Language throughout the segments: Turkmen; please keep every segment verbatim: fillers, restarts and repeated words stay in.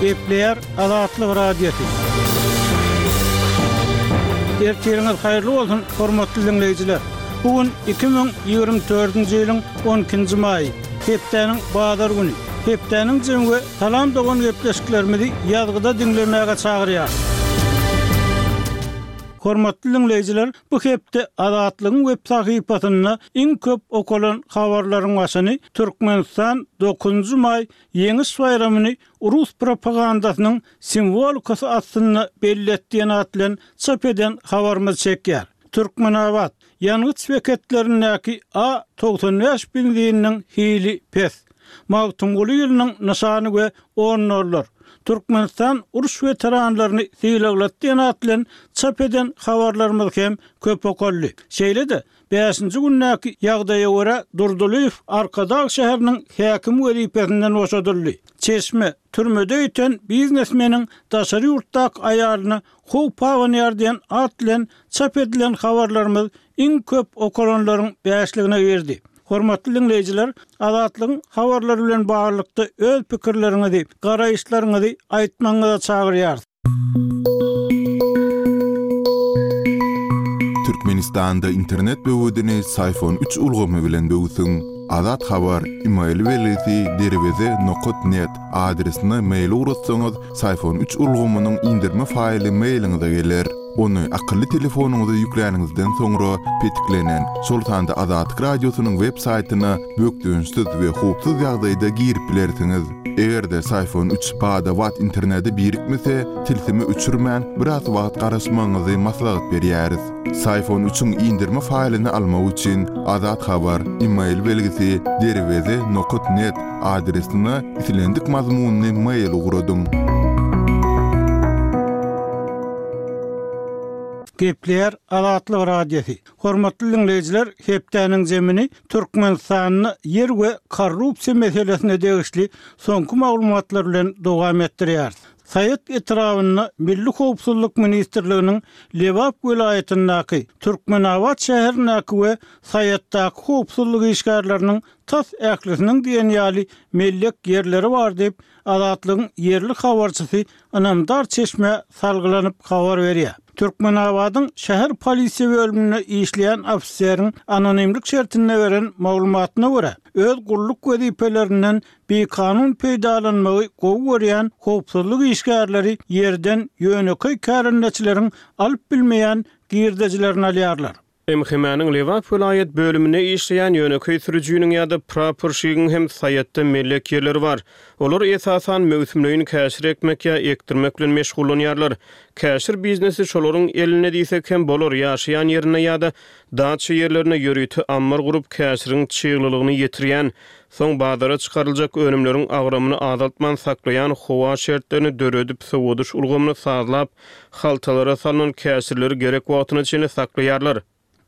Gepleýär Azatlyk Radiosy. Ertiriňiz haýyrly bolsun, hormatly diňleýjiler. Bu gün iki müň ýigrimi dördünji ýylyň on ikinji maýy, hepdäniň bazar güni. Hepdäniň jemi we Salam dogan gepleşiklerimizi ýazgyda diňlemäge çagyrýar. Hormatly diňleýjiler, bu hepde Azatlygyň web sahypasynda iň köp okalan habarlaryň başyny Türkmenistan dokuzynjy maý Ýeňiş baýramyny rus propagandasynyň simwolikasy astynda belli et diýen at bilen çap eden habarymyz çekýär. Türkmenabat ýangyç beketlerindäki A togsan bäş benzininiň hili pes. Magtymguly ýylynyň nyşany we on dollar. Türkmenistan uruş weteranlaryny sylaglady diýen at bilen çap eden habarlarymyz hem köp okaldy. Şeýle-de, bäşinji gündäki ýagdaýa görä Durdylyýew Arkadag şäheriniň häkim wezipesinden boşadyldy. Çeşme, türmede ýiten biznesmeniň daşary ýurtdaky aýalyna howp abanýar diýen at bilen çap edilen habarlarymyz iň köp okalanlaryň bäşligine girdi. Hormatly diňleýjiler, Azatlygyň habarlary bilen baglylykda öz pikirleriňizi, garaýyşlaryňyzy aýtmagyňyza çagyrýarys. Türkmenistanda internet böwedini Syfon üç ulgamy bilen böwsüň. Azat Habar, email belgisi derweze nokat net adresine mail ugratsaňyz, Syfon üç ulgamynyň indirme faýly mailiňize geler. Ony akylly telefonyňyza ýükläniňizden soňra petiklenen, şol sanda Azatlyk Radiosynyň web saýtyna bökdençsiz we howpsuz ýagdaýda girip bilersiňiz. Eger-de Syfon üç bada-bat internete birikmese, tilsimi öçürmän, biraz wagt garaşmagyňyzy maslahat berýäris. Syfon üçiň indirme faýlyny almak üçin Azat Habar, email belgisi derweze nokat net adresine islendik mazmunyny mail ugradyň. Gepleýär Azatlyk Radiosy. Hormatly diňleýjiler, hepdäniň zemini Türkmenistanda ýer we korrupsiýa meselesine degişli soňky maglumatlar bilen dowam etdirýär. Saýat etrabynda Milli Howpsuzlyk Ministrliginiň Lebap welaýatyndaky, Türkmenabat şäherindäki we Saýatdaky howpsuzlyk işgärleriniň tas ählisiniň diýen ýaly mellek ýerleri bar diýip, Azatlygyň ýerli habarçysy ynamdar çeşmä salgylanyp habar berýär. Türkmenabadyň şäher polisiýa bölüminde işleýän ofiseriň anonimlik şertinde beren maglumatyna görä, öz gulluk wezipelerinden bikanun peýdalanmagy gowy görýän howpsuzlyk işgärleri ýerden ýönekeý kärendeçileriň alyp bilmeýän girdejilerini alýarlar. M H M-niň Lebap welaýat bölüminde işleýän ýönekeý sürüjiniň ýa-da praporşigiň hem Saýatda mellek ýerleri bar. Olar esasan möwsümleýin käşir ekmek ýa ekdirmek bilen meşgullanýarlar. Käşir biznesi şolaryň elinde diýsek hem bolar, ýaşaýan ýerinde ýa-da daça ýerlerine ýörite ammar gurup käşiriň çyglylygyny ýetirýän, soň bazara çykaryljak önümleriň agramyny azaltman saklaýan howa şertlerini döredip sowadyş ulgamyny sazlap, haltalara salynan käşirleri gerek wagtyna çenli saklaýarlar.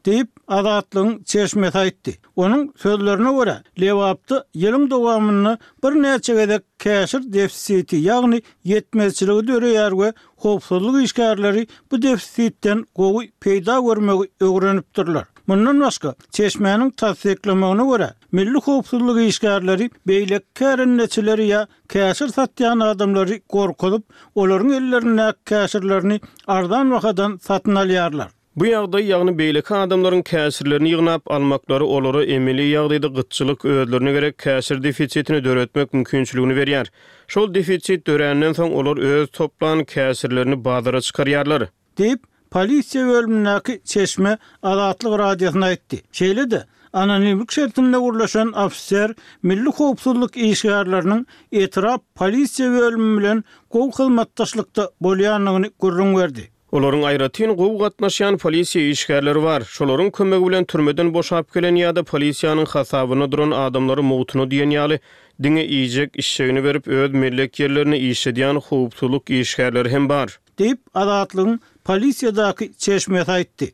Diýip, Azatlygyň çeşmesi aýtdy. Onuň sözlerine görä, Lebapda ýylyň dowamynda birnäçe gezek käşir defisiti, ýagny ýetmezçiligi döreýär we howpsuzlyk işgärleri bu defisitden gowy peýda görmegi öwrenipdirler. Mundan başga, çeşmäniň tassyklamagyna görä, milli howpsuzlyk işgärleri beýleki kärendeçileri ýa käşir satýan adamlary gorkuzyp, olaryň ellerindäki käşirlerini arzan bahadan satyn alýarlar. Bu ýagdaý, ýagny beýleki adamlaryň käşirlerini ýygnap almaklary olara emeli ýagdaýda gytçylyk özlerine gerek käşir defisitini döretmek mümkinçiligini berýär. Şol defisit döränden soň olar öz toplan käşirlerini bazara çykarýarlar. Diýip, polisiýa bölümindäki çeşme Azatlyk Radiosyna aýtdy. Şeýle-de, anonimlik şertinde gurlaşan ofiser milli howpsuzlyk işgärleriniň etrap polisiýa bölümi bilen gowy hyzmatdaşlykda bolýandygyny gürrüň berdi. Olaryň aýratyn gowy gatnaşýan polisiýa işgärleri bar. Şolaryň kömegi bilen türmeden boşap gelen ýa-da polisiýanyň hasabyna duran adamlary mugtuna diýen ýaly diňe iýjek işçegini berip öz mellek ýerlerini işledýän howpsuzlyk işgärleri hem bar. Diýip, Azatlygyň polisiýadaky çeşmesi aýtdy.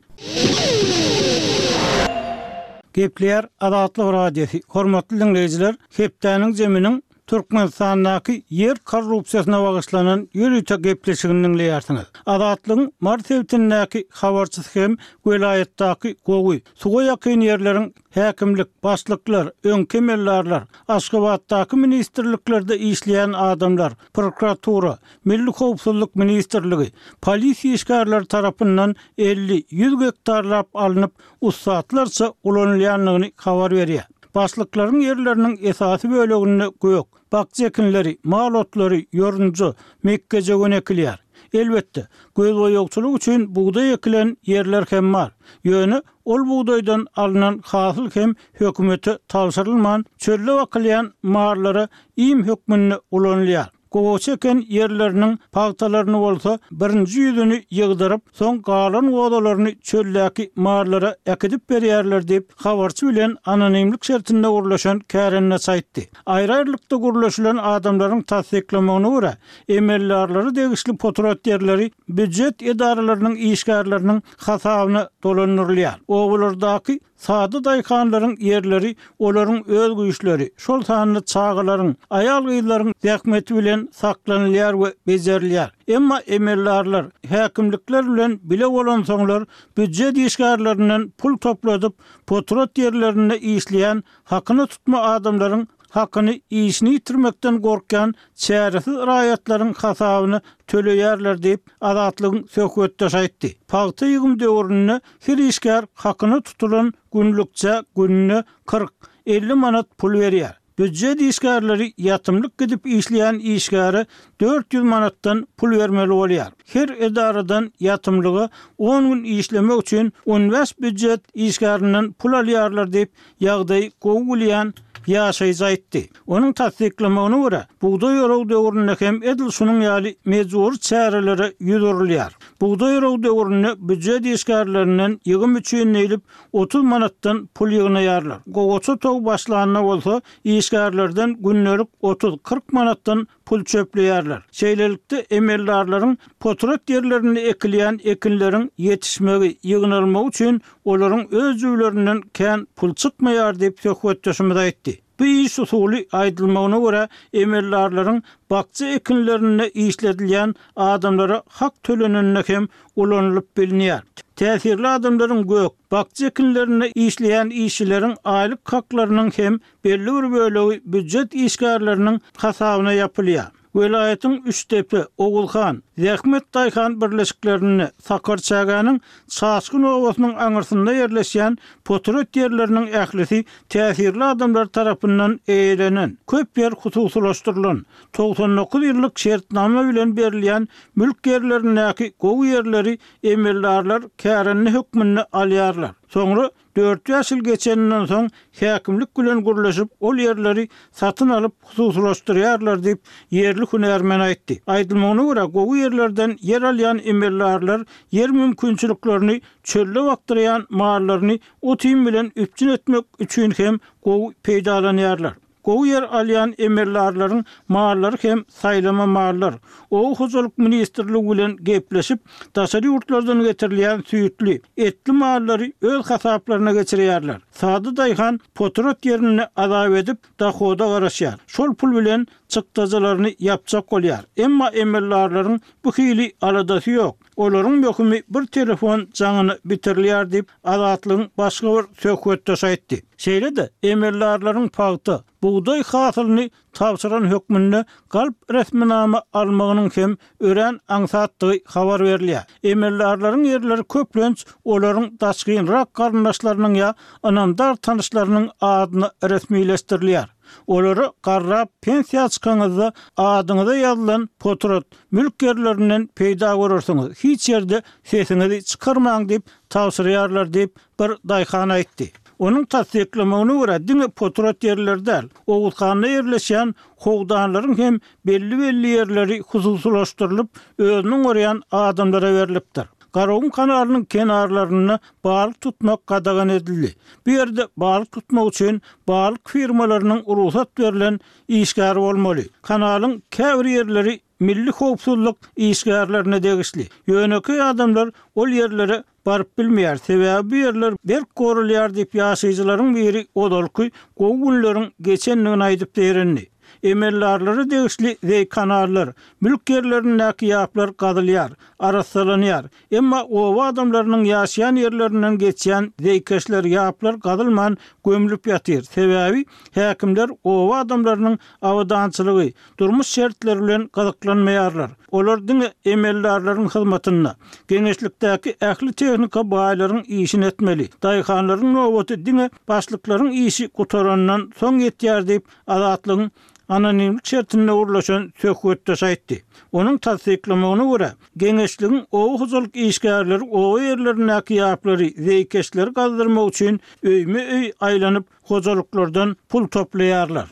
Gepleýär Azatlyk Radiosy. Hormatly diňleýjiler, hepdäniň zeminiň Türkmenistandaky ýer korrupsiýasyna bagyşlanan ýörite gepleşigini diňleýärsiňiz. Azatlygyň Mary sebitindäki habarçysy hem welaýatdaky gowy, suwa ýakyn ýerleriň häkimlik, başlyklar, öňki emeldarlar, Aşgabatdaky ministrliklerde işleýän adamlar, prokuratura, Milli howpsuzlyk ministrligi, polisiýa işgärleri tarapyndan elli, ýüz gektarlap alnyp, ussatlarça ulanylýandygyny habar berýär. Başlyklaryň ýerleriniň esasy böleginde gök, bakja ekinleri, mal otlary, ýorunja, mekgejöwen ekilýär. Elbetde, gözboýagçylyk üçin bugdaý ekilen ýerler hem bar. Ýöne ol bugdaýdan alnan hasyl hem hökümete tabşyrylman, çölde bakylýan mallara iým hökmünde ulanylýar. Gowaça eken ýerleriniň pagtalaryny bolsa birinji ýüzüni ýygdyryp, soň galan gozalaryny çöldäki mallara äkidip berýärler diýip, habarçy bilen anonimlik şertinde gürleşen kärendeçi aýtdy. Aýry-aýrylykda gürleşilen adamlaryň tassyklamagyna görä, emeldarlara degişli potrat ýerleri býujet edaralarynyň işgärleriniň hasabyna dolandyrylýar. Obalardaky sada daýhanlaryň ýerleri olaryň öz güýçleri, şol sanda çagalaryň, aýal-gyzlaryň zähmeti bilen saklanylýar we bejerilýär. Emma emeldarlar häkimlikler bilen bile bolansoňlar býujet işgärlerinden pul topladyp, potrat ýerlerinde işleýän hakyna tutma adamlaryň hakyny işini ýitirmekden gorkýan çäresiz raýatlaryň hasabyna töleýärler diýip, Azatlygyň söhbetdeşi aýtdy. Pagta ýygym döwründe her işgär hakyna tutulan günlükçä gününe kyrk, elli manat pul berýär. Býujet işgärleri ýatymlyk gidip işleýän işgäre dört ýüz manatdan pul bermeli bolýar. Her edaradan ýatymlyga on gün işlemek üçin on bäş býujet işgärinden pul alýarlar diýip, ýagdaýy gowy bilýän ýaşaýjy aýtdy. Onuň tassyklamagyna görä, bugdaý oragy döwründe hem edil şunuň ýaly mejbury çärelere ýüz urulýar. Bugdaý oragy döwründe býujet işgärlerinden ýygym üçin diýlip otuz manatdan pul ýygnaýarlar. Gowaça togy başlanda bolsa işgärlerden gündelik otuz, kyrk manatdan pul çöpleýärler. Şeýlelikde, emeldarlaryň potrat ýerlerinde ekilýän ekinleriň ýetişmegi, ýygnalmagy üçin olaryň öz jübülerinden kän pul çykmaýar diýip, söhbetdeşimiz aýtdy. Bu iş usuly, aýdylmagyna görä, emeldarlaryň bakja ekinlerinde işledilýän adamlara hak tölenende hem ulanylyp bilinýär. Täsirli adamlaryň gök, bakja ekinlerinde işleýän işçileriň aýlyk haklarynyň hem belli bir bölegi býujet işgärleriniň hasabyna ýapylýar. Welaýatyň Üçdepe, Ogulhan, Zähmet daýhan birleşiklerinde, Sakarçägäniň Çaşgyn obasynyň aňyrsynda ýerleşýän potrat ýerleriniň ählisi täsirli adamlar tarapyndan eýelenen, köp ýer hususylaşdyrylan, togsan dokuz ýyllyk şertnama bilen berilýän mülk ýerlerindäki gowy ýerleri emeldarlar kärende hökmünde alýarlar. Soňra dört-bäş ýyl geçeninden soň häkimlik bilen gürleşip, ol ýerleri satyn alyp hususylaşdyrýarlar diýip, ýerli hünärmen aýtdy. Aýdylmagyna görä, gowy ýerlerden ýer alýan emeldarlar ýer mümkinçiliklerini çölde bakdyrýan mallaryny ot-iým bilen üpjün etmek üçin hem gowy peýdalanýarlar. Gowy ýer alýan emeldarlaryň mallary hem saýlama mallar. Oba hojalyk ministrligi bilen gepleşip, daşary ýurtlardan getirilýän süýtli, etli mallary öz hasaplaryna geçirýärler. Sada daýhan potrat ýerinde azap edip, dohoda garaşýar. Şol pul bilen çykdajylaryny ýapjak bolýar. Emma emeldarlaryň bu hili aladasy ýok. Olaryň möhümi bir telefon jaňyna bitirilýär diýip, Azatlygyň başga bir söhbetdeşi aýtdy. Şeýle-de, emeldarlaryň pagta, bugdaý hasylyny tabşyran hökmünde galp resminama almagynyň hem örän aňsatdygy habar berilýär. Emeldarlaryň ýerleri köplenç olaryň daşgynrak garyndaşlarynyň ýa ynamdar tanyşlarynyň adyna resmileşdirilýär. Olara garrap pensiýa çykaňyzda adyňyza ýazylan potrat, mülk ýerlerinden peýda görersiňiz, hiç ýerde sesiňizi çykarmaň diýip tabşyrýarlar diýip, bir daýhan aýtdy. Onuň tassyklamagyna görä, diňe potrat ýerleri däl, Oguzhanda ýerleşýän howdanlaryň hem belli-belli ýerleri hususylaşdyrylyp, özüniň görýän adamlara berlipdir. Garagum kanalynyň kenarlarynda balyk tutmak gadagan edildi. Bu ýerde balyk tutmak üçin balyk firmalarynyň rugsat berlen işgäri bolmaly. Kanalyň käbir ýerleri milli howpsuzlyk işgärlerine degişli. Ýönekeý adamlar ol ýerlere baryp bilmeýär, sebäbi bu ýerler berk goralýar diýip, ýaşaýjylaryň biri ozalky gowy günleriň geçendigini aýdyp zeýrendi. Emeldarlara degişli zeý-kanallar, mülk ýerlerindäki ýaplar gazylýar, arassalanýar. Emma oba adamlarynyň ýaşaýan ýerlerinden geçýän zeýkeşler, ýaplar gazylman gömlüp ýatyr. Sebäbi häkimler oba adamlarynyň abadançylygy, durmuş şertleri bilen gyzyklanmaýarlar. Olar diňe emeldarlaryň hyzmatynda. Geňeşlikdäki ähli tehnika baýlaryň işini etmeli. Daýhanlaryň nobaty diňe başlyklaryň işi gutarandan soň ýetýär diýip, Azatlygyň anonimlik şertinde gürleşen söhbetdeşi aýtdy. Onuň tassyklamagyna görä, geňeşligiň oba hojalyk işgärleri oba ýerlerindäki ýaplary, zeýkeşleri gazdyrmak üçin öýme-öý aýlanyp, hojalyklardan pul toplaýarlar.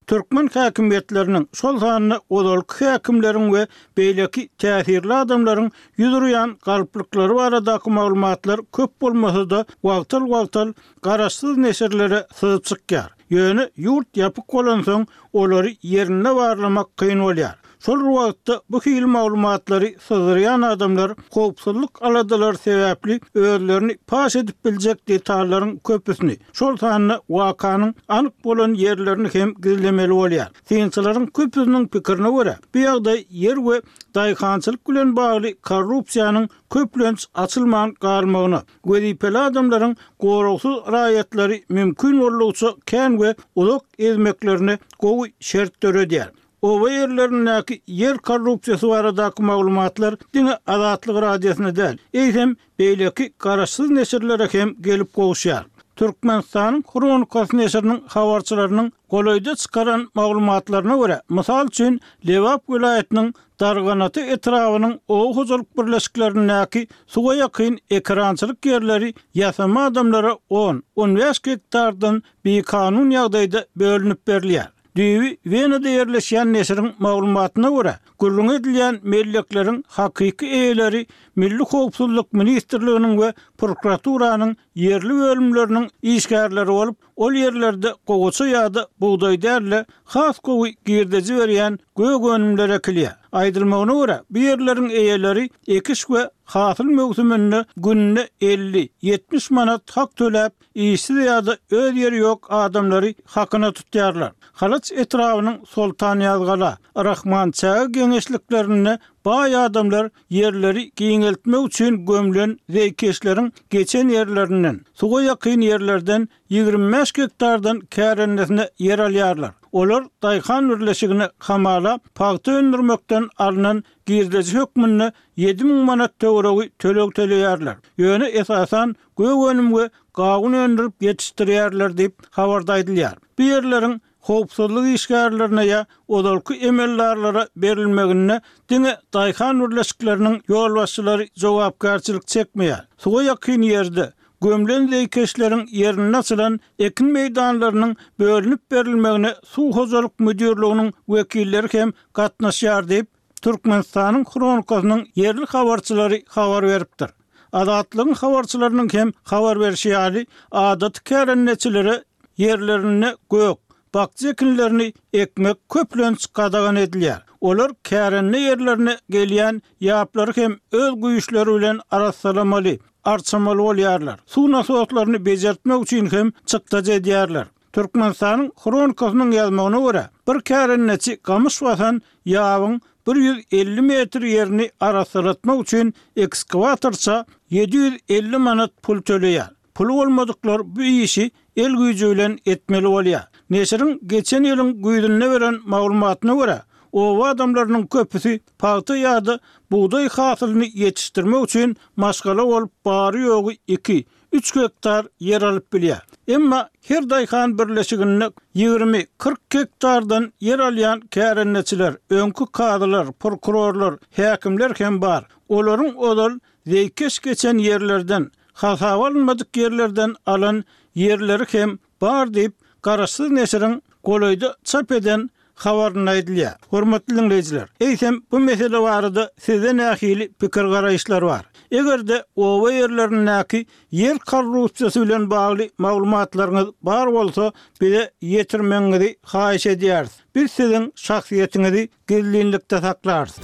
Türkmen häkimiýetleriniň, şol sanda ozalky häkimleriň we beýleki täsirli adamlaryň ýüz urýan galplyklary baradaky maglumatlar köp bolmasa-da, wagtal-wagtal garaşsyz neşirlere syzyp çykýar. Ýöne ýurt ýapyk bolansoň, olary ýerinde barlamak kyn bolýar. Şol bir wagtda, bu hili maglumatlary syzdyrýan adamlar howpsuzlyk aladalary sebäpli özlerini paş edip biljek detallaryň köpüsini, şol sanda wakanyň anyk bolan ýerlerini hem gizlemeli bolýar. Synçylaryň köpüsiniň pikirine görä, bu ýagdaý ýer we daýhançylyk bilen bagly korrupsiýanyň köplenç açylman galmagyna, wezipeli adamlaryň goragsyz raýatlary mümkin boldugyça kän we uzak ezmeklerine gowy şert döredýär. Oba ýerlerindäki ýer korrupsiýasy baradaky maglumatlar diňe Azatlyk Radiosyna däl, eýsem, beýleki garaşsyz neşirlere hem gelip gowuşýar. Türkmenistanyň Hronikasy neşiriniň habarçylarynyň golaýda çykaran maglumatlaryna görä, mysal üçin, Lebap welaýatynyň Darganata etrabynyň oba hojalyk birleşiklerindäki suwa ýakyn ekerançylyk ýerleri ýasama adamlara on, on bäş gektardan bikanun ýagdaýda bölünip berilýär. Düýbi Wenada ýerleşýän neşiriň maglumatyna görä, gürrüňi edilýän mellekleriň hakyky eýeleri Milli howpsuzlyk ministrliginiň we prokuraturanyň ýerli bölümleriniň işgärleri bolup, ol ýerlerde gowaça ýa-da bugdaý däl-de, has gowy girdeji berýän gök önümler ekilýär. Aýdylmagyna görä, bu ýerleriň eýeleri ekiş we hasyl möwsüminde gününe elli, ýetmiş manat hak töläp, Işsiz ýa-da öz ýeri ýok adamlary hakyna tutýarlar. Halaç etrabynyň Soltanýazgala, Rahmançäge geňeşliklerinde baý adamlar ýerleri giňeltmek üçin gömlen zeýkeşleriň geçen ýerlerinden, suwa ýakyn ýerlerden ýigrimi bäş gektardan kärendesine ýer alýarlar. Olar daýhan birleşigine hamala pagta öndürmekden alnan girdeji hökmünde ýedi müň manat töweregi töleg töleýärler. Ýöne esasan gök önüm we gawun öndürip ýetişdirýärler diýip, habarda aýdylýar. Bu ýerleriň howpsuzlyk işgärlerine ýa ozalky emeldarlara berilmeginde diňe daýhan birleşikleriniň ýolbaşçylary jogapkärçilik çekmeýär. Suwa ýakyn ýerde, gömlen zeýkeşleriň ýerinde açylan ekin meýdanlarynyň bölünip berilmegine suw hojalyk müdirliginiň wekilleri hem gatnaşýar diýip, Türkmenistanyň Hronikasynyň ýerli habarçylary habar beripdir. Azatlygyň habarçylarynyň hem habar berşi ýaly, adaty kärendeçilere ýerlerinde gök, bakja ekinlerini ekmek köplenç gadagan edilýär. Olar kärende ýerlerine gelýän ýaplary hem öz güýçleri bilen arassalamaly, arçamaly bolýarlar. Suw nasoslaryny bejertmek üçin hem çykdajy edýärler. Türkmenistanyň Hronikasynyň ýazmagyna görä, bir kärendeçi gamyş basan ýabyň bir ýüz elli metr ýerini arassalatmak üçin ekskawatorça ýedi ýüz elli manat pul töleýär. Puly bolmadyklar bu işi el güýji bilen etmeli bolýar. Neşiriň geçen ýylyň güýzünde beren maglumatyna görä, oba adamlarynyň köpüsi pagta ýa-da bugdaý hasylyny ýetişdirmek üçin maşgala bolup bary-ýogy iki, üç gektar ýer alyp bilýär. Emma her daýhan birleşiginde ýigrimi, kyrk gektardan ýer alýan kärendeçiler, öňki kazylar, prokurorlar, häkimler hem bar. Olaryň ozal zeýkeş geçen ýerlerden, hasaba alynmadyk ýerlerden alan ýerleri hem bar diýip, garaşsyz neşiriň golaýda çap eden habarynda aýdylýar. Hormatly diňleýjiler, eýsem bu mesele barada sizde nähili pikir-garaýyşlar bar? Eger-de oba ýerlerindäki ýer korrupsiýasy bilen bagly maglumatlaryňyz bar bolsa, bize ýetirmegiňizi haýyş edýäris. Biz siziň şahsyýetiňizi gizlinlikde saklarys.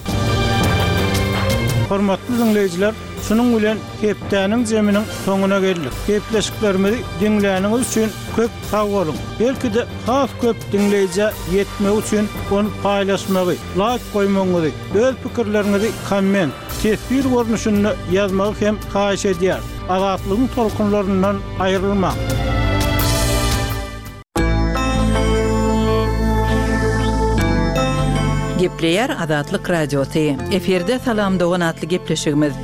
Hormatly dinleýjiler, şunuň bilen hepdäniň zeminiň soňuna geldik. Gepleşiklerimizi diňläniňiz üçin köp sag boluň. Belki-de has köp dinleýjä ýetmek üçin ony paýlaşmagy, like goýmagyňyzy, öz pikirleriňizi komment, teswir görnüşinde ýazmagy hem haýyş edýär. Azatlygyň tolkunlaryndan aýrylmaň. Gepleýär Azatlyk Radiosy. Efirde Salam Dogan atly gepleşigimiz.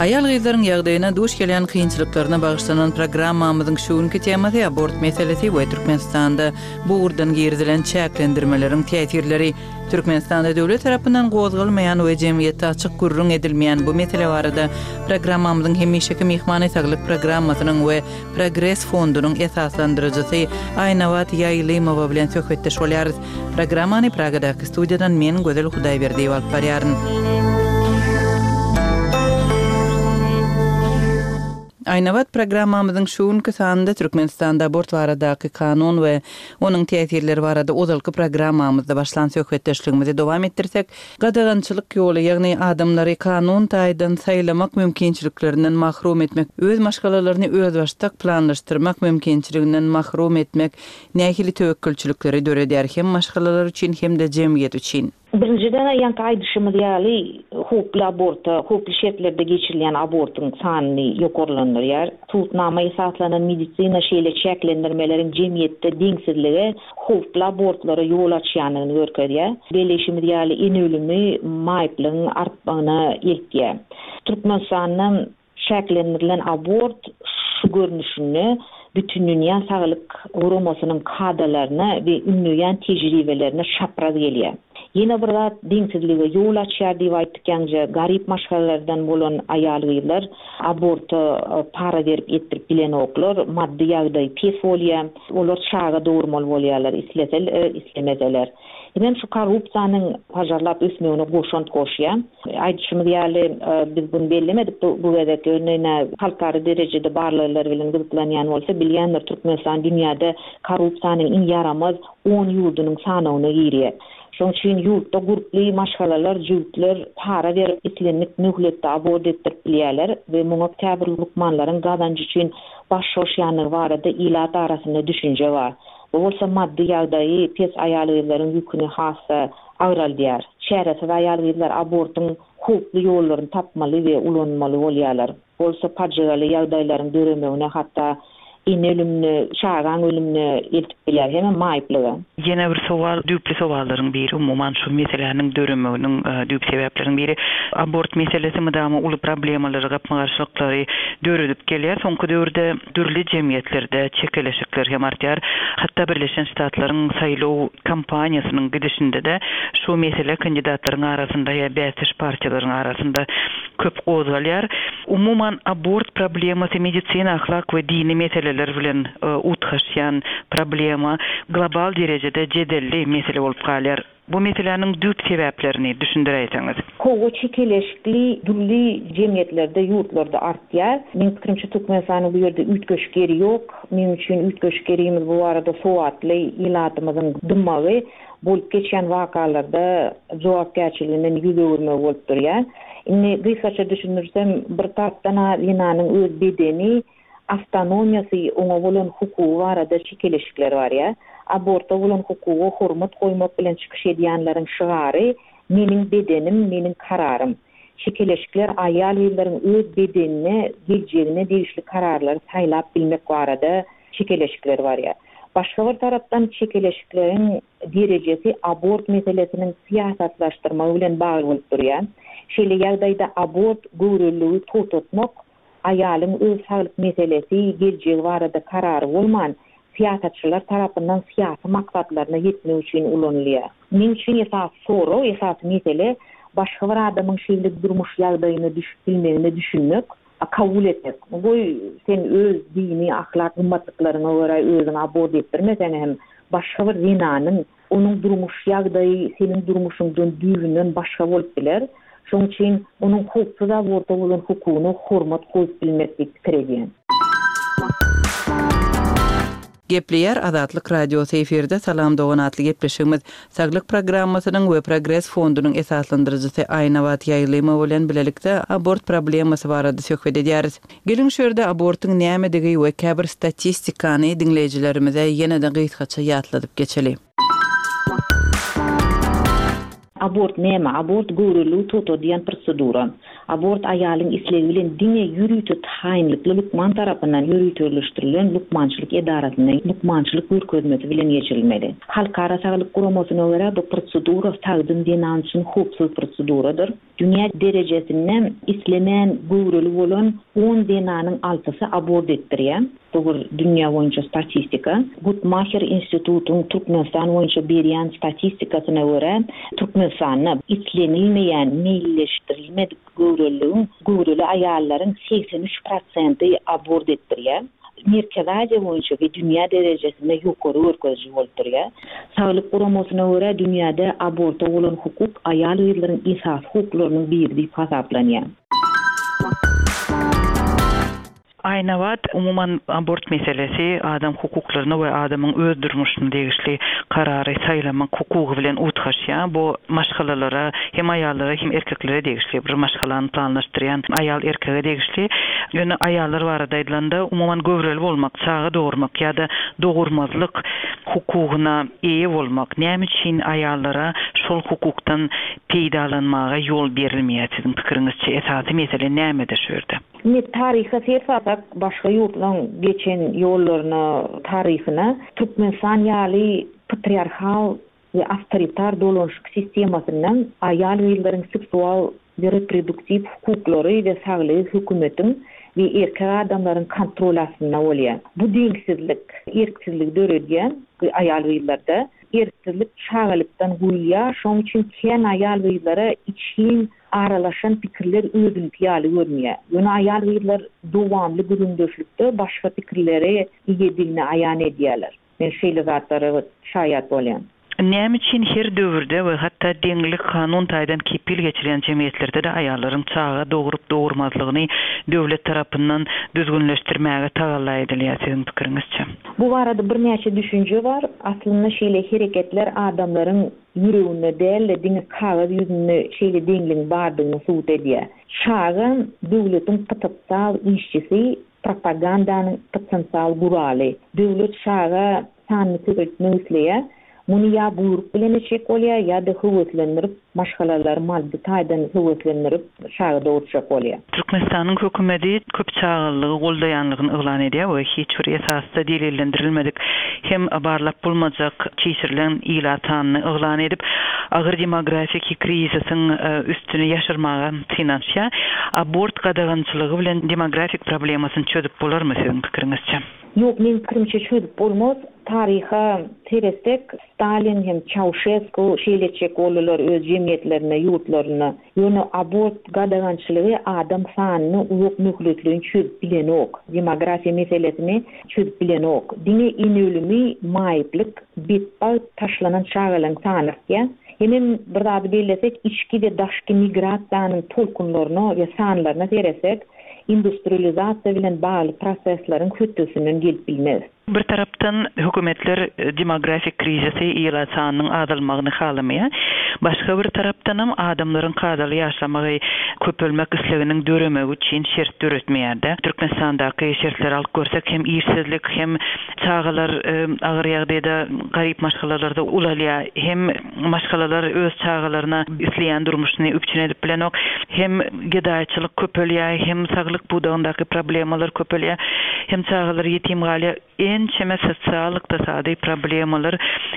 Aýal-gyzlaryň ýagdaýyna duş gelýän kynçylyklaryna bagyşlanan programmamyzyň şu günki temasy abort meselesi we Türkmenistanda bu ugurdan girizilen çäklendirmeleriň täsirleri. Türkmenistanda döwlet tarapyndan gozgalmaýan we jemgyýetde açyk gürrüň edilmeýän bu mesele barada programmamyzyň hemişeki myhmany saglyk programmasynyň we Progres fondunyň esaslandyryjysy Aýnabat Ýaýlymowa bilen söhbetdeş bolýarys. Programmany Pragadaky studiýadan men Gözel Hudaýberdiýewa alyp barýaryn. Aýnabat programmamyzyň şu günki sanynda Türkmenistanda abort baradaky kanun we onuň täsirleri barada ozalky programmamyzda başlan söhbetdeşligimizi dowam etdirsek, gadagançylyk ýoly, ýagny adamlary kanun taýdan saýlamak mümkinçiliklerinden mahrum etmek, öz maşgalalaryny özbaşdak planlaşdyrmak mümkinçiliginden mahrum etmek nähili töwekgelçilikleri döredýär hem maşgalalar üçin hem-de jemgyýet üçin? Birinjiden ýaňky aýdyşymyz ýaly howply aborta, howply şertlerde geçirilýän abortyň sanyny ýokarlandyrýar. Subutnama esaslanan medisina şeýle çäklendirmeleriň jemgyýetde deňsizlige, howply abortlara ýol açýandygyny görkezýär. Belleýşimiz ýaly ene ölümi maýyplygyň artmagyna eltýär. Türkmenistanda çäklendirilen abort şu görnüşinde Bütindünýä Saglyk Guramasynyň kadalaryna we ündeýän tejribelerine çapraz gelýär. Ýene bir zat deňsizlige ýol açýar diýip aýtdyk ýaňja garyp maşgalalardan bolan aýal-gyzlar aborta para berip etdirip bilenoklar, maddy ýagdaý pes bolýar, olar çaga dogurmaly bolýarlar isleseler, islemeseler. Hemem şu korrupsiýanyň pajarlap ösmegine goşant goşýar. Aýdyşymyz ýaly, biz bunu bellemedik bu, bu gezek ýöne halkara derejede barlaglar bilen gyzyklanýan bolsa bilýändir Türkmenistan dünýäde korrupsiýanyň iň ýaramaz on ýurdunyň sanawyna girýär. Şonuň üçin ýurtda gurply maşgalalar, jübütler para berip islendik möhletde abort etdirip bilýärler we muňa käbir lukmanlaryň gazanjy üçin baş goşýanlygy barada ilat arasynda düşünje bar. Bu bolsa maddy ýagdaýy pes aýal-gyzlaryň ýüküni hassa agraldýar. Çäresiz aýal-gyzlar abortyň howply ýollaryny tapmaly we ulanmaly bolýarlar. Bolsa pajygaly ýagdaýlaryň döremegine hatda ene ölümüne, çagaň ölümüne eltip bilýär, hem maýyplyga. Ýene bir sowal, düýpli sowallaryň biri, umuman şu meseläniň döremeginiň düýp sebäpleriniň biri abort meselesi mydama uly problemalary, gapma-garşylyklary döredip gelýär. Soňky döwürde dürli jemgyýetlerde çekeleşikler hem artýar. Hatda Birleşen Ştatlaryň saýlaw kampaniýasynyň gidişinde de şu mesele kandidatlaryň arasynda ýa bäsdeş partiýalaryň arasynda köp gozgalýar. Umuman abort problemasy medisina, ahlak we dini meseleler bilen utgaşýan problema global derejede jedelli mesele bolup galýar. Bu meseläniň düýp sebäplerini düşündiräýseňiz. Kowa çekeleşikli dürli jemgyýetlerde, ýurtlarda artýar. Meň pikirimçe Türkmenistanyň bu ýerde üýtgeşik ýeri ýok. Meň üçin üýtgeşik ýerimiz bu barada sowatly ilatymyzyň dymmagy bolup geçýän wakalarda jogapkärçiliginden ýüz öwürmegi bolup durýar. Indi gysgaça düşündirsem, bir tarapdan zenanyň öz bedeni, awtonomiýasy oňa bolan hukugy barada çekeleşikler bar ýa. Aborta bolan hukuga hormat goýmak bilen çykyş edýänleriň şygary meniň bedenim, meniň kararym. Çekeleşikler aýal-gyzlaryň öz bedenine, geljegine degişli kararlary saýlap bilmek barada çekeleşikler bar ýa. Başga bir tarapdan çekeleşikleriň derejesi abort meselesiniň syýasatlaşdyrmagy bilen bagly bolup durýar. Şeýle ýagdaýda abort göwreliligi togtatmak aýalyň öz saglyk meselesi, geljegi barada karary bolman, syýasatçylar tarapyndan syýasy maksatlaryna ýetmek üçin ulanylýar. Meň üçin esas sorag, esas mesele başga bir adamyň şeýle durmuş ýagdaýyna düşüp bilmegine düşünmek, kabul etmek. Goý sen öz dini, ahlak gymmatlyklaryňa görä özüňi abort etdirmeseň hem başga bir zenanyň onuň durmuş ýagdaýy seniň durmuşyňdan düýbünden başga bolup biler. Şonuň üçin onuň howpsuz aborta bolan hukugyna hormat goýup bilmek diýip pikir edýän. Gepleýär Azatlyk Radiosy efirde Salam dogan atly gepleşigimiz Saglyk programmasynyň we Progres fondunyň esaslandyryjysy Aýnabat Ýaýlymowa bilen bilelikde abort problemasy barada söhbet edýäris. Geliň şu ýerde abortyň nämedigi we käbir statistikany diňleýjilerimize ýene-de gysgaça ýatladyp geçeli. Abort näme? Abort göwreliligi togtadýan prosedura. Abort aýalyň islegi bilen diňe ýörite taýynlykly lukman tarapyndan ýöriteleşdirilen lukmançylyk edarasynda lukmançylyk görkezmesi bilen geçirilmeli. Halkara saglyk guramasyna görä bu prosedura sagdyn zenan üçin howpsuz proseduradyr. Dünýä derejesinde islemän göwreli bolan on zenanyň altysy abort etdirýär. Bu bir dünýä boýunça statistika. Guttmacher institutyň Türkmenistan boýunça berýän statistikasyna görä, Türkmenistanda islenilmeýän, meýilleşdirilmedik göwreliligiň göwreli aýallaryň segsen üç prosenti abort etdirýär. Merkezi Aziýa boýunça we dünýä derejesinde ýokary görkeziji bolup durýar. Saglyk guramasyna görä dünýäde aborta bolan hukuk aýal-gyzlaryň esasy hukuklarynyň biri diýip hasaplanýar. Aýnabat, umuman abort meselesi adam hukuklaryna we adamyň öz durmuşyna degişli karary saýlamak hukugy bilen utgaşýar. Bu maşgalalara, hem aýallara, hem erkeklere degişli bir maşgalany planlaşdyrýan aýal erkege degişli. Ýöne aýallar barada aýdylanda, umuman göwreli bolmak, çaga dogurmak ýa-da dogurmazlyk hukugyna eýe bolmak, näme üçin aýallara şol hukukdan peýdalanmaga ýol berilmeýär siziň pikiriňizçe? Esasy mesele nämede şu ýerde? Indi taryha ser salsak, başga ýurtlaryň geçen ýollaryna, taryhyna Türkmenistan ýaly patriarhal we awtoritar dolanyşyk sistemasyndan aýal-gyzlaryň seksual we reproduktiw hukuklary we saglygy hökümetiň we erkek adamlaryň kontrol astynda bolýar. Bu deňsizlik erksizligi döredýär aýal-gyzlarda. Erksizlik çagalykdan guýulýar, şonuň üçin kän aýal-gyzlara içgin aralaşan pikirler özüňki ýaly görünýär. Ýöne aýal-gyzlar dowamly gürrüňdeşlikde başga pikirlere eýedigini aýan edýärler. Men şeýle zatlara şaýat bolýan. Näme üçin her döwürde we hatda deňlik kanun taýdan kepil geçirilen jemgyýetlerde-de aýallaryň çaga dogrup dogurmazlygyny döwlet tarapyndan düzgünleşdirmäge tagalla edilýär siziň pikiriňizçe? Bu barada birnäçe düşünje bar. Aslynda şeýle hereketler adamlaryň ýüreginde däl-de diňe kagyz ýüzünde şeýle deňligiň bardygyny subut edýär. Çaga döwletiň potensial işçisi, propagandanyň potensial guraly. Döwlet çaga sanyny köpeltmek isleýär. Muny ýa buýruk bilen etjek bolýar, ýa-da höweslendirip, maşgalalary maddy taýdan höweslendirip, çaga dogurjak bolýar. Türkmenistanyň hökümeti köp çagalygy goldaýanlygyny yglan edýär we hiç bir esasda delillendirilmedik hem barlap bolmajak çişirilen ilat sanyny yglan edip, agyr demografik krizisiň, e, üstüni ýaşyrmaga synanyşýar. Abort gadagançylygy bilen demografik problemasyny çözüp bolarmy siziň pikiriňizçe? Ýok, men pikirimçe çözüp bolmaz. Taryha seretsek, Stalin hem Çauşesku şeýle etjek boldular öz jemgyýetlerine, ýurtlaryna. Ýöne abort gadagançylygy adam sanyny uzak möhletleýin çözüp bilenok. Demografiýa meselesini çözüp bilenok. Diňe ene ölümi, maýyplyk, betbagt taşlanan çagalaryň sany artýar. Hemem bir zady bellesek, içki we daşky migrasiýanyň tolkunlaryna we sanlaryna seretsek, industrializasiýa bilen bagly prosesleriň hötdesinden gelip bilmez. Bir tarapdan hökümetler, e, demografik krizisi ilat sanynyň azalmagyny halamaýar. Başga bir tarapdanam adamlaryň kadaly ýaşamagy, köpelmek isleginiň döremegi üçin şert döretmeýär-de. Türkmenistandaky şertleri alyp görsek, hem işsizlik, hem çagalar, e, agyr ýagdaýda garyp maşgalalarda ulalýar, hem maşgalalar öz çagalaryna isleýän durmuşyny üpjün edip bilenok, hem gedaýçylyk köpelýär, hem saglyk pudagyndaky problemalar köpelýär, hem çagalar ýetim galýar. Ençeme sosial ykdysady problemalar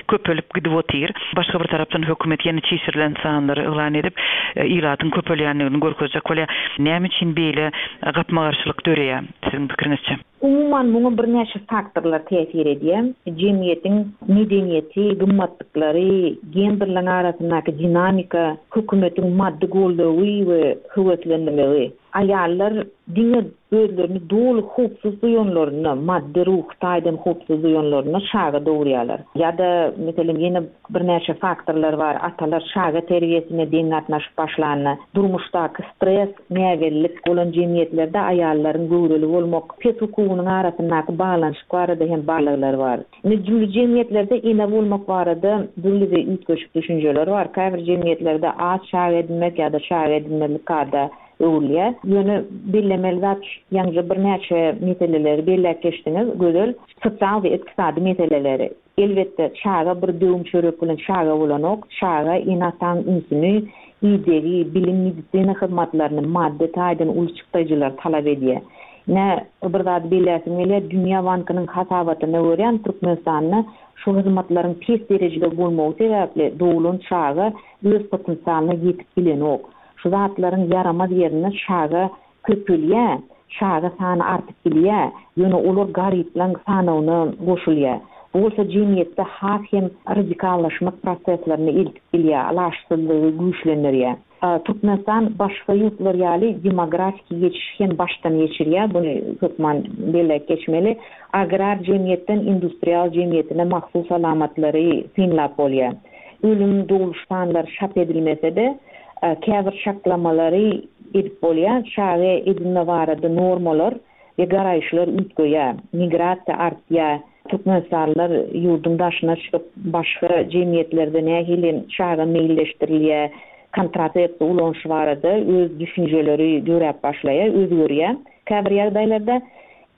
köpelip gidip otyr. Başga bir tarapdan hökümet ýene çişirilen sanlary yglan edip, e, ilatyň köpelýändigini görkezjek bolýar. Näme üçin beýle gapma-garşylyk döreýär siziň pikiriňizçe? Umuman muňa birnäçe faktorlar täsir edýär. Jemgyýetiň medeniýeti, gymmatlyklary, genderleriň arasyndaky dinamika, hökümetiň maddy goldawy we höweslendirmegi. Aýallar diňe özlerini doly howpsuz duýanlarynda, maddy, ruhy taýdan howpsuz duýanlarynda çaga dogurýarlar. Ýa-da, meselem, ýene birnäçe faktorlar bar, atalar çaga terbiýesine deň gatnaşyp başlanda, durmuşdaky stres, näbellilik bolan jemgyýetlerde aýallaryň göwreli bolmak pes hukugynyň arasyndaky baglanyşyk barada hem barlaglar bar. Indi dürli jemgyýetlerde ene bolmak barada dürli we üýtgeşik düşünjeler bar. Käbir jemgyýetlerde az çaga edinmek ýa-da çaga edinmezlik kada öwrülýär. Ýöne bellemeli zat, ýaňyja birnäçe meseleleri belläp geçdiňiz, Gözel, sosial we ykdysady meseleleri. Elbetde, çaga bir döwüm çörek bilen çaga bolanok, çaga ene-ataň ünsüni, idegi, bilim, medisina hyzmatlaryny, maddy taýdan uly çykdaýjylary talap edýär. Ine, bir zady belläsim gelýär, Dünýä bankynyň hasabatyna görä, Türkmenistanda şu hyzmatlaryň pes derejede bolmagy sebäpli doglan çaga öz potensialyna ýetip bilenok. Şu zatlaryň ýaramaz ýerinde çaga köpelýär, çaga sany artyp bilýär, ýöne olar garyplaryň sanawyna goşulýar. Bu bolsa jemgyýetde has hem radikallaşmak proseslerine eltip bilýär, alaçsyzlygy güýçlendirýär. Türkmenistan başga ýurtlar ýaly demografiki geçişi hem başdan geçirýär, buny hökman belläp geçmeli. Agrar jemgyýetden industrial jemgyýetine mahsus alamatlary synlap bolýar. Ölüm, dogluş sanlary çap edilmese-de, käbir çaklamalary edip bolýar. Çaga edinme barada normalar we garaýyşlar üýtgeýär, migrasiýa artýar. Türkmenistanlylar ýurduň daşyna çykyp, başga jemgyýetlerde nähili çaga meýilleşdirilýär, kontrasepsiýa ulanyşy barada öz düşünjeleri döräp başlaýar, özgerýär. Käbir ýagdaýlarda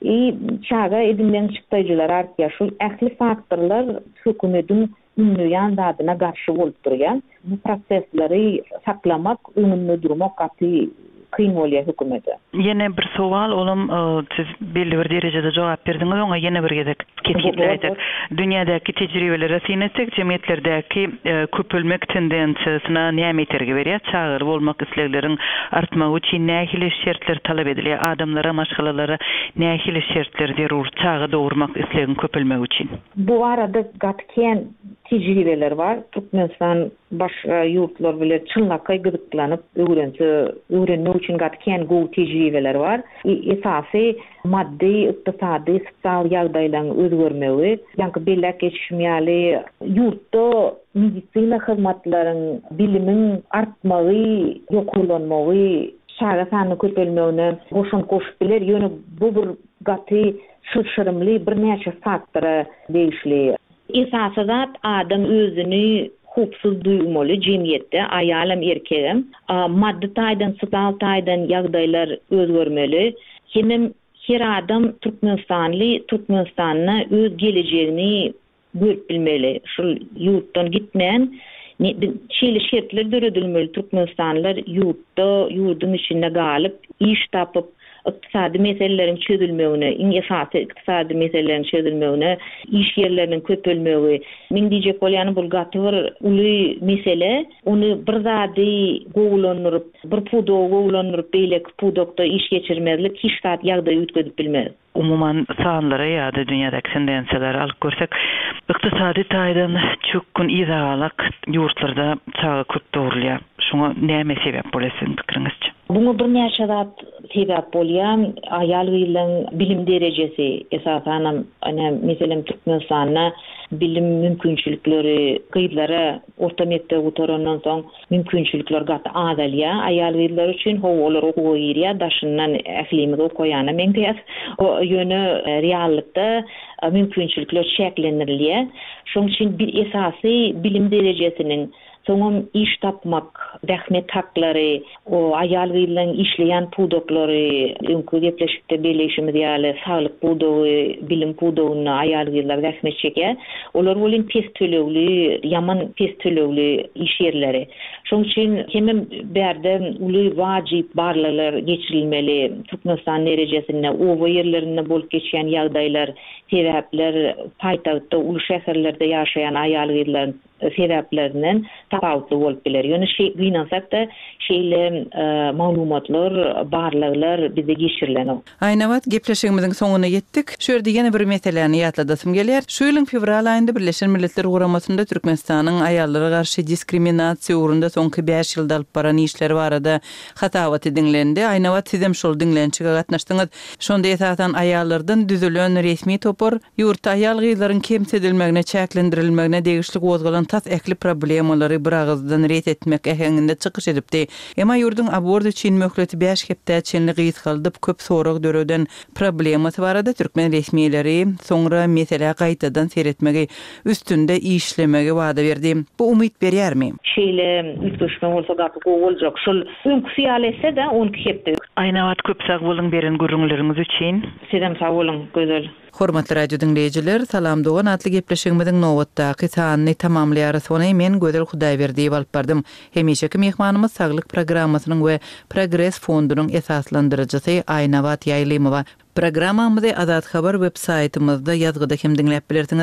i çaga edinmegiň çykdaýjylary artýar. Şul ähli faktorlar hökümetiň ündeýän zadyna garşy bolup durýar. Bu prosesleri saklamak, öňünde durmak gaty kyn bolýar hökümete. Ýene bir sowal, olam siz belli bir derejede jogap berdiňiz, oňa ýene bir gezek kesgitläýsek. Dünýädäki tejribelere syn etsek, jemgyýetlerdäki köpelmek tendensiýasyna näme itergi berýär? Çagaly bolmak islegleriň artmagy üçin nähili şertler talap edilýär? Adamlara, maşgalalara nähili şertler zerur çaga dogurmak islegiň köpelmegi üçin? Bu barada gaty kän tejribeler bar. Türkmenistan başga ýurtlar bilen çynlakaý gyzyklanyp öwrense, öwrenmek üçin gaty kän gowy tejribeler bar. Esasy maddy, ykdysady, sosial ýagdaýlaryň özgermegi, ýaňky belläp geçişim ýaly ýurtda medisina hyzmatlaryň, bilimiň artmagy, ýokarlanmagy, çaga sanynyň köpelmegine goşant goşup biler. Ýöne bu bir gaty çylşyrymly birnäçe faktora degişli. Esasy zat adam özüni howpsuz duýmaly jemgyýetde, aýalam, erkegem. Maddy taýdan, sosial taýdan ýagdaýlar özgermeli. Hemem her adam Türkmenistanly Türkmenistanda öz gelejegini görüp bilmeli. Şul ýurtdan gitmän, şeýle şertler döredilmeli. Türkmenistanlylar ýurtda, ýurduň içinde galyp, iş tapyp, ykdysady meseleleriň çözülmegine, iň esasy ykdysady meseleleriň çözülmegine, iş ýerleriniň köpelmegi. Men diýjek bolýanym, bu gaty bir uly mesele. Ony bir zady gowulandyryp, bir pudagy gowulandyryp, beýleki pudakda iş geçirmezlik hiç zat ýagdaýy üýtgedip bilmez. Umuman sanlara ýa-da dünýädäki tendensiýalary alyp görsek, ykdysady taýdan çökgün yzagalak ýurtlarda çaga köp dogrulýar. Şuňa näme sebäp bolýar siziň pikiriňizçe? Buňa birnäçe zat sebäp bolýar. Aýal gyzlaryň bilim derejesi, esasanam, ine, meselem, Türkmenistanda bilim mümkinçilikleri gyzlara orta mekdep gutarandan soň mümkinçilikler gaty azalýar. Aýal gyzlar üçin how olar okuwa girýär, daşyndan ählimiz okaýana meňzeýär. O ýöne reallykda mümkinçilikler çäklendirilýär. Şonuň üçin bir esasy bilim derejesiniň, soňam iş tapmak, zähmet haklary, o aýal gyzlaryň işleýän pudaklary, öňki gepleşikde belleýşimiz ýaly saglyk pudagy, bilim pudagynda aýal gyzlar zähmet çekýär. Olar welin pes tölegli, ýaman pes tölegli iş ýerleri. Şonuň üçin hemem bärde uly wajyp barlaglar geçirilmeli. Türkmenistan derejesinde oba ýerlerinde bolup geçýän ýagdaýlar, sebäpler, paýtagtda, uly şäherlerde ýaşaýan aýal gyzlaryň sebäplerinden tapawutly bolup biler. Ýöne gynansak-da, şeýle maglumatlar, barlaglar bizde geçirilenok. Aýnabat, gepleşigimiziň soňuna ýetdik. Şu ýerde ýene bir meseläni ýatladasym gelýär. Şu ýylyň fewral aýynda Birleşen Milletler Guramasynda Türkmenistanyň aýallara garşy diskriminasiýa ugrunda soňky bäş ýylda alyp baran işleri barada hasabaty diňlendi. Aýnabat, sizem şol diňlenişige gatnaşdyňyz. Şonda esasan aýallardan düzülen resmi topar ýurtda aýal-gyzlaryň kemsidilmegine, çäklendirilmegine degişli gozgalan tas ähli problemalary biragyzdan ret etmek äheňinde çykyş edipdi. Emma ýurduň abort üçin möhleti bäş hepdä çenli gysgaldyp, köp sorag döreden problemasy barada türkmen resmileri soňra meselä gaýtadan seretmegi, üstünde işlemegi wada berdi. Bu umyt berýärmi? Şeýle üýtgeşme bolsa gaty gowy boljak. Şol öňküsi ýaly etse-de on iki hepde. Aýnabat köp sag boluň beren gürrüňleriňiz üçin. Sizem sag boluň Gözel. Hormatly radio diňleýjiler, Salam dogan atly gepleşigimiziň nobatdaky sanyny tamamlaýarys. Ony men Gözel Hudaýberdiýewa alyp bardym. Hemişeki myhmanymyz Saglyk programmasynyň we Progres fondunyň esaslandyryjysy Aýnabat Ýaýlymowa. Programmamyzy Azat Habar web saýtymyzda ýazgyda hem diňläp bilersiňiz.